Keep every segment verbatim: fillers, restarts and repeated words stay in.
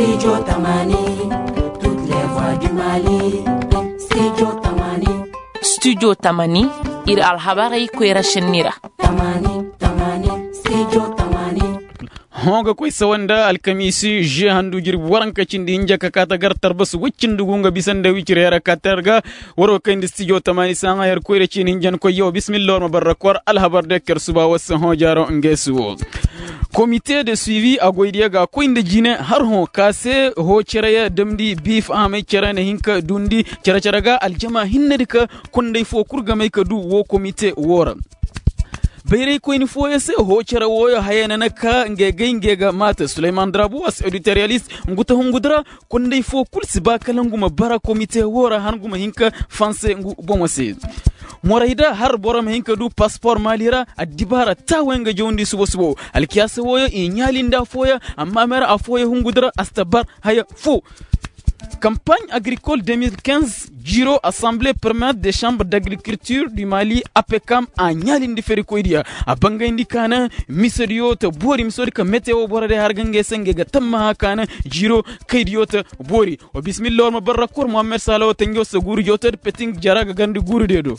Studio tamani, ir alhabarey koyra šenni ra. Hõ ga koy sawa nda alkamiisi žue handu jirbi waranka cindi hinja ka kaa ta gar tarbas woy cindi gu nga bisa nda wicir heera ka ter ga. War wo kayndi studio tamani saaŋa yer koyra ciini hinja ni koy yaw bismillah war ma barra kor alhabar de ker suba war se hõ jaaro nge si wo. Komite de suivi a goydiyo ga koy nda jine har hõ ka se hõ cere ya damndi bi fahamay cere na hin ka duundi cere cere ga aljama hinne di ka konday fo kul ga may ka duu woo komite woo ra. Bayraykoyni fooyo se hoo cere wooyo haya na na ka ngey gay ngey ga maata suleyman drabu a si editoriyalist ngu ta hungu di ra. Konday foo kul si ba kala ngu ma bara komite woo ra han ngu ma hin ka fanse ngu bomo se. Morayda har boro ma hin ka du paspor maali ra addibaara taawey nga jawndi suba suba woo alkiyaasa wooyo i ɲaalindi affooyo. Amma meera affooyo hungu di ra a si ta bar haya foo. Kampaaɲ agrikol deux mille quinze jiiro asamble permanent de chambre d'agrikulture du mali apekam a ɲaalindi ferikoydiya. A bangayndi ka na misediyo ta boori misodi ka mete woo boro day har ga ngey se ngey ga tammaha ka na jiiro kaydiyo ta boori. Wa bismillah war ma barra kor muhammed sala woo tanjo se guuru jootodi petin jara ga garndi guuru diyo do.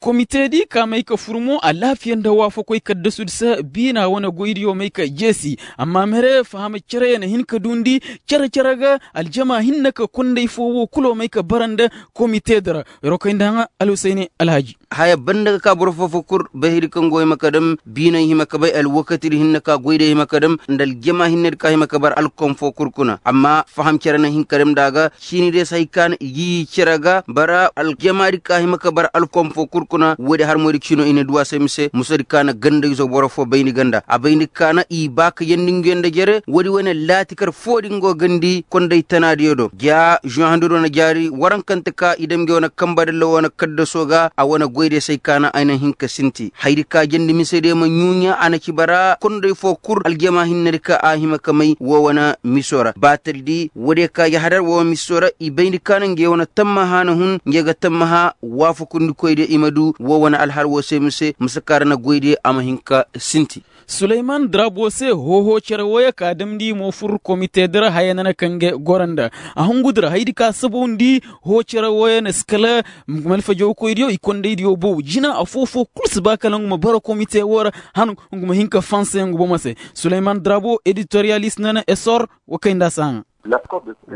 Komite di ka may ka fur mo alaafiya nda waafakoy kaddasudi se biina wane goydiyo may ka jeesi. Amma mere fahama cere ya na hin ka duundi cere cere ga aljama hinne ka konday foo woo kulo may ka bara nda komite di ra. Yer wo kay nda haŋa alhusayni alhaji. Haya banda ga ka boro foo foo kul bay haydi kaŋ go hima ka dam biinay hima ka bay alwakatidi hinne ka goydiyo hima ka dam nda aljama hinnedi ka hima ka bara alkom foo kul kuna amma faham cere na hin ka dam nda a ga. Ciini day se hay ka na i ga i cere ga bara aljamaadi ka hima ka bara alkom foo kul kuna woodi harmoydi ciino i na du a se mise musadi ka na ganda izo boro foo bayndi ganda a bayndi ka na i ba ka yandi nguyo nda jere woodi wane laatikar foodi nga go gandi konday tanaadiyo do ja žuwahandido na jaari warankante ka i dam nge wane kambadalla wane kaddasoo ga a wane goydiyo se hay ka na ay na hin ka sinti haydi ka jandi misediyo ma ɲuuɲa a na ci bara konday foo kul aljama hinnedi ka a hima ka may woo wane miso ra baataldi woodiyo ka yahadar woo wane miso ra i bayndi ka na nge wane tammaha na hun nge ga tammaha waafakundikoydiyo i ma du woo wane alhal woo se mise misa ka ra na goydiyo a ma hin ka sinti. Suleyman drabo se hoohoo cere wooyo ka damndi mo fur komite di ra haya na na ka nge goro nda a hungu di ra haydi ka sabawndi hoo cere wooyo na si kala malfajawkoydiyo i kondaydiyo bow jina affoo foo kul si ba kala ngu ma bara komite woo ra han ngu ma hin ka fanse ngu bomo se. Suleyman drabo editoriyalist na na esor wa kay nda a si haŋa.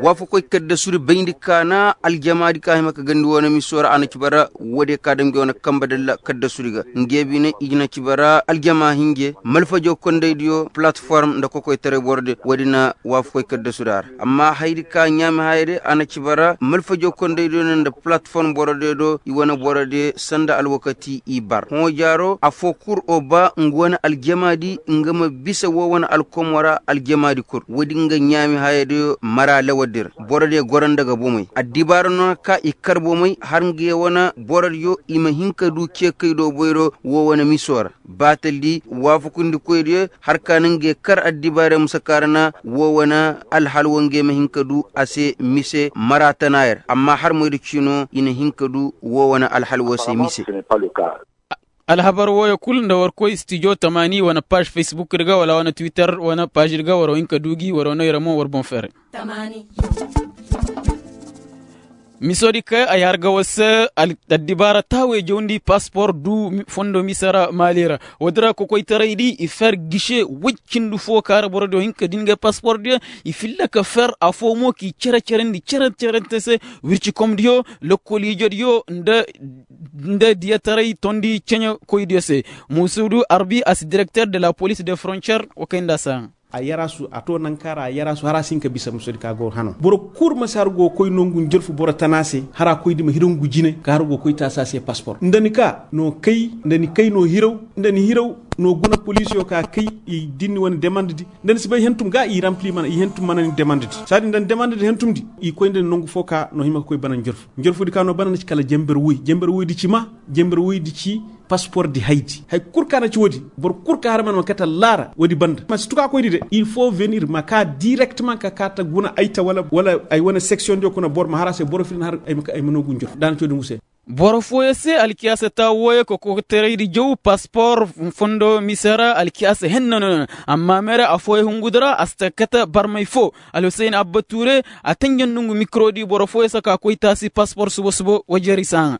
Waafakoy kaddasudi bayndi ka na aljamaadi ka hima ka gandi wane miso ra a na ci bara woodiyo ka dam nge wane kamba dalla kaddasudi ga nge bine i na ci bara aljama hinje malfajo kondaydiyo palatform nda kokoytaray borodiyo woodi na waafakoy kaddasudi a ra amma hayadi ka ɲaami hayadi a na ci bara malfajo kondaydiyo no nda palatform borodiyo do i wane borodiyo sanda alwakati i bar hõ jaaro affoo kul o ba ngu wane aljamaadi nga ma bisa woo wane alkomo ra aljamaadi kul woodi nga ɲaami hayadiyo mara lawardi ra borodiyo goro nda ga bomey addibaara no na ka i kar bomey har nga ye wane borodiyo i ma hin ka du ceekay do boyro woo wane miso ra baataldi waafakundikoydiyo har ka na nga ye kar addibaara musa kaarana woo wane alhal woo nga ye ma hin ka du a se mise mara tanaaya ra amma har moyda ciino i na hin ka du woo wane alhal woo se mise. Alhabar wooyo kul nda war koy stijo tamaani wane paaž fesbukdi ga wala wane twitter wane paaždi ga war wa hin ka du gi war wa noy ra mo war boŋ ferre. Misodi ka ay har ga war se addibaara taawey jawndi paspor du fondo mise ra maali ra. Woodi ra kokoytaraydi i fer gise woy cindi foo ka ra borodiyo hin ka din ga paspordiyo i filla ka fer afoo mo k'i cere-cerandi cere-cerante se wircikomdiyo lokoliijodiyo nda diyataray tondi ceɲekoydiyo se. Muusuudu arbi a si direkter de la polis de frontiyer wa kay nda a si haŋa. A yaraasu a to nanka ra a yaraasu har a si hin ka bisa musodi ka go hano boro kul ma si har go koy no ngu njolfu boro tana se har a koy di ma hiraw ngu jine ka har go koy taasi a se paspor nda ni ka no kay nda ni kay no hiraw nda ni hiraw no guna polisiyo ka kay i dinni wane demandedi nda ni si bay hentum ga i rampli mana i hentum mana ni demandedi saadi nda ni demandedi hentumdi i koy nda ni nongu fo ka no hima ka koy bana njolfu njolfudi ka no bana ni ci kala jember woy jember woydi ci ma jember woydi ci paspordi haydi hay kul ka na ci woodi boro kul ka har mana ma kate laara woodi banda ma si tuka koydi de il foo venir ma ka direkteman ka ka ta guna ayta wala ay wane seksiyondiyo kuna boro ma har a se boro filin har ay ma nongu njolfu da na ci woodi ngu se. Boro fooyaŋ se alkiyaasa taa wooyaŋ ka kokotaraydi jaw paspor fondo mise ra alkiyaasa henna no. Amma mere affooyaŋ hungudi ra a si ta kate barmay foo. Alhuseyn abba tuure a tanjandi ngu mikirodi boro fooyaŋ se ka koy taasi paspor suba suba wajeri saaŋa.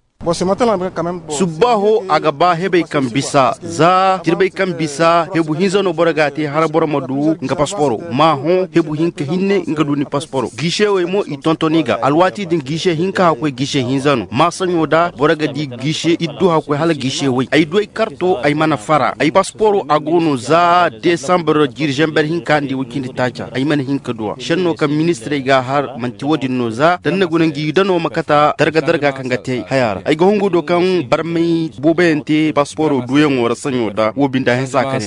Subbaaho a ga ba hebey kaŋ bisa za jirbey kaŋ bisa hebu hinza no boro ga a te hala boro ma du nga pasporo ma hõ hebu hinka hinne nga du ni pasporo giisewey mo i tonton i ga alwaati din giise hinka hakkoy giise hinza no maasaɲo da boro ga di giise iddu hakkoy hala giisewey ay du ay karto ay mana fara ay pasporo a go no za desambar jiiri zamber hinka nda i way cindi taaca ay mana hin ka du a senno kaŋ ministirey ga a har manti wo-din no za da ni na guna ngi dano ma kata darga-darga kaŋ ga te haya ra ay ga hungu do kaŋ barmay booboyaŋ te pasporo duuyaŋo ra saɲo da wo binda hinsa ka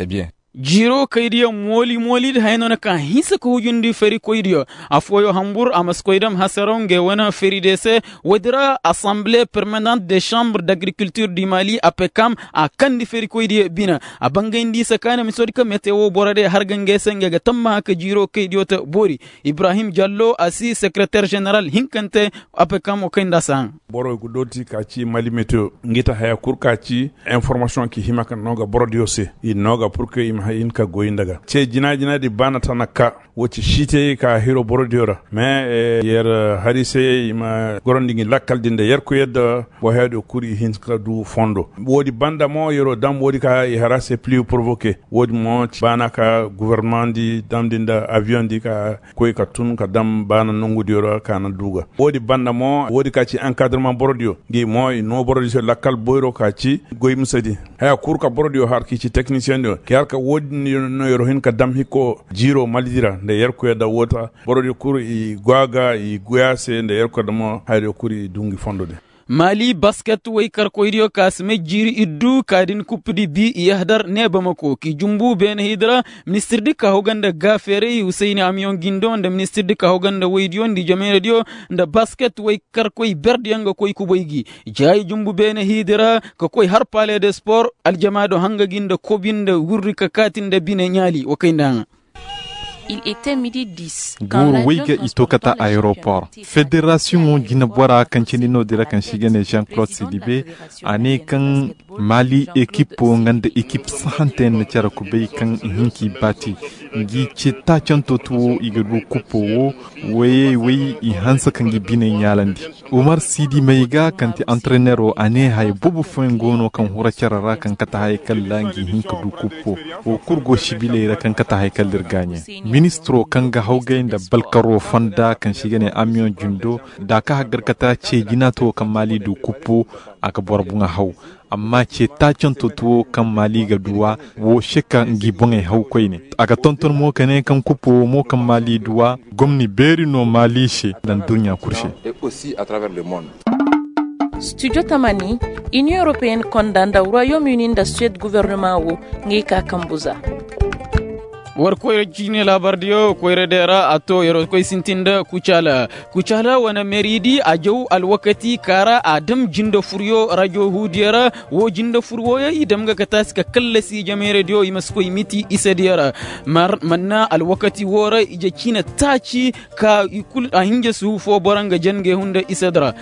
ne. Jiiro kaydiyo mooli-mooli nda haya no na ka hinsa ka hujundi ferikoydiyo. Affooyo hambur a ma si koy dam hasaraw ngey wane feri de se. Woodi ra asamble permanent de chambre d'agriculture du mali apekam a kandi ferikoydiyo bina. A bangayndi i se ka na misoodi ka mete wo boro de har ga ngey se ngey ga tammaha ka jiiro kaydiyo ta boori. Ibrahim jallo a si sekreter general hinkante. Apekam wo kay nda a si haŋ. Boro ga dooti ka ci mali mete ngi ta haya kul ka ci. Informasiyoŋ ki hima ka no ga borodiyo se i no ga pur ka i ma hin ka goy nda ga ce jina-jina di baana tana ka. Wo ci siitey ka hiro borodiyo ra mais yer hari se i ma gorandi ngi lakkal din da yer koy yadda. Boheyadiyo kul i hin ka du fondo. Woodi banda mo yero dam woodi ka i hara se pli provoke. Woodi mo baana ka guvernement di damdi nda aviyoŋ di ka koy ka tun ka dam baana nongudiyo ra ka na du ga. Woodi banda mo woodi ka ci enkadreman borodiyo ngi mo i no borodiyo se lakkal boyro ka ci goy misedi. Haya kul ka borodiyo har ki ci teknisiyeŋ diyo ki har ka woodi no yero hin ka dam hikko jiiro malidi ra nda yerkoyo da woota. Borodiyo kul i go a ga i goy a se nda yerkoyo da mo hayadiyo kul i du ngi fondo din. Maali basket waykarkoydiyo ka si may jiiri iddu ka din kuppudi bi i yahadar ne bamako k'i jumbu beene hiidi ra. Ministirdi ka haw ga nda gaafeeray husayni amiyoŋ gindo nda ministirdi ka haw ga nda waydiyo nda i jameeradiyo nda basket waykarkoy berdiyaŋ ga koy kubay gi. Jaayi jumbu beene hiidi ra ka koy har pale de spor aljamaado hanga gi nda kobi nda wurri ka kaati nda bine ɲaali wa kay nda haŋa. Guuru way ga i to kate ayeropor federasiyoŋo jineboraa kaŋ cindi no-din ra kaŋ se i ga ne jean claude sidibe. A ne kaŋ maali ekipo nga nda ekip sahante yaŋ na care kubay kaŋ i hin k'i baati. Ngi ce taacanto tuwo i ga du kupo wo. Wayey way i hanse ka ngi biney ɲaalandi. Umar siidi may ga kaŋ ti antrenero a ne haya boobo fooyaŋ go no kaŋ hura care ra kaŋ kate haya kaŋ ra ngi hin ka du kuppo. Wo kul go sibiley ra kaŋ kate haya kaŋ ir gaaɲe. Ministiro kaŋ ga hawgay nda balkaro fonda kaŋ se i ga ne amiyoŋ jindo da a ka haggar kate ceejinaato kaŋ maali du kuppo. A ga boro boŋa haw. Amma ce taacanto tuwo kaŋ maali ga duwa wo se ka ngi boŋey haw koyne. A ga tonton mo ka ne kaŋ kuppo wo mo kaŋ maali duwa gomni beeri no maali se nda nduɲɲa kul se. Studio tamani, inion europeyenne konda nda royaume uni nda suwed guvernema wo. Ngey ka kambu za. War koyra ciine laabardiyo koyra day ra a to yeroo koy sintin nda kucaala. Kucaala wane meeridi a jaw alwakati ka ra a dam jinde furyo rajo huudiyo ra. Woo jinde fur wooyo i dam ga ka taasi ka kallasi jameeradiyo i ma si koy miti isediyo ra. Mar manna alwakati woo ra ije ciine taaci. Ka i kul a hinja suhu foo boro nga jen ga i hunda isedi ra.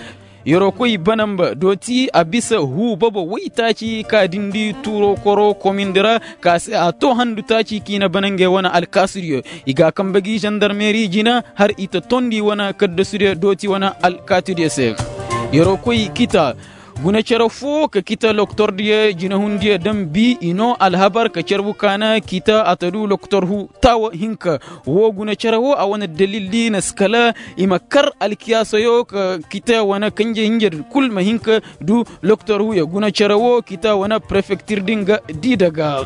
Yeroo koy banamba dooti a bisa huu bobo woytaaci ka dindi tuuroo koroo komindi ra. Ka se a too handu taaci k'i na bana ngey wane alkaasudiyo. I ga a kambe gi zandarmeeri jina har i ta toondi wane kaddasudiyo dooti wane alkaatidiyo se. Yeroo koy kita guna cere foo ka kita loktordiyo jinahundiyo dam bi i noo alhabar ka carbu kaana kita a ta du loktor huu taawa hinka. Woo guna cere woo a wane dalildi na si kala i ma kar alkiyaasoyo ka kita wane kanje hinjedi kul ma hin ka du. Loktor huuyo guna cere woo kita wane prefektir din ga dii daga.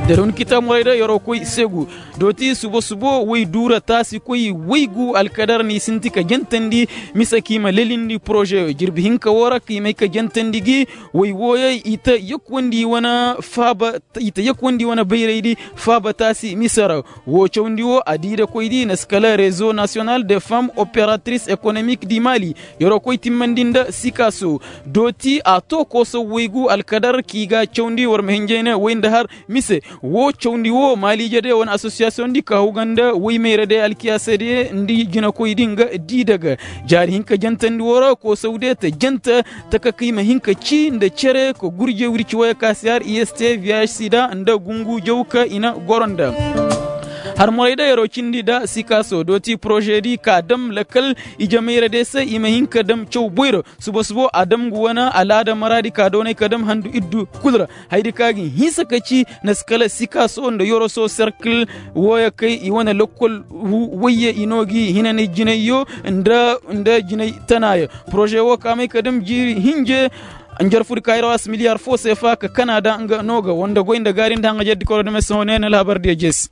Da dun kita morayda yeroo koy seegu dooti subo-subo woy duura taasi koy woy gu alkadar n'i sinti ka jentandi. Mise k'i ma lelindi porozeyo jirbi hinka woo ra k'i may ka jentandi gi. Woy wooyey i ta yakuwandi wane faaba i ta yakuwandi wane bayraydi. Faaba taasi mise ra woo cawndi woo a dii da koydi na si kala rezo nasiyonal de fam operatris ekonomik di mali. Yeroo koy timmandi nda sikaaso dooti a too kooso woy gu alkadar k'i ga cawndi war ma hinjay ne woy nda har. Mise Woo cawndi woo maaliije de wane assosiyasiyoŋ di ka hawga nda woy mayra de alkiyaasa de nda jinakoy di nga di daga jaari hinka jantandi woo ra koosaw de ta janta taka ka i ma hin ka cii nda cere ka gurje wirci wooyo ka si har i s t vih sida nda gungu jaw ka i na goro nda. Harmoray da yeroo cindi da sikaaso dooti poroze di ka dam lakal ije mayra de se i ma hin ka dam caw boyro suba subo a dam ngu wane alaada maraadi ka doonay ka dam handu iddu kul ra. Hayadi ka gi hinsa ka ci na si kala sikaso nda yoroso serkil wooyo kay i wane lokkol wayye i no gi hinanay jinayyo nda jinay tanaayo. Poroze woo ka may ka dam jiiri hinje. Njarfudi ka ir waasi miliyar foo seefa ka kanada nga no ga wanda goy nda gaari nda haŋajer di koro dame sohõ ne na alhabar diya jeesi.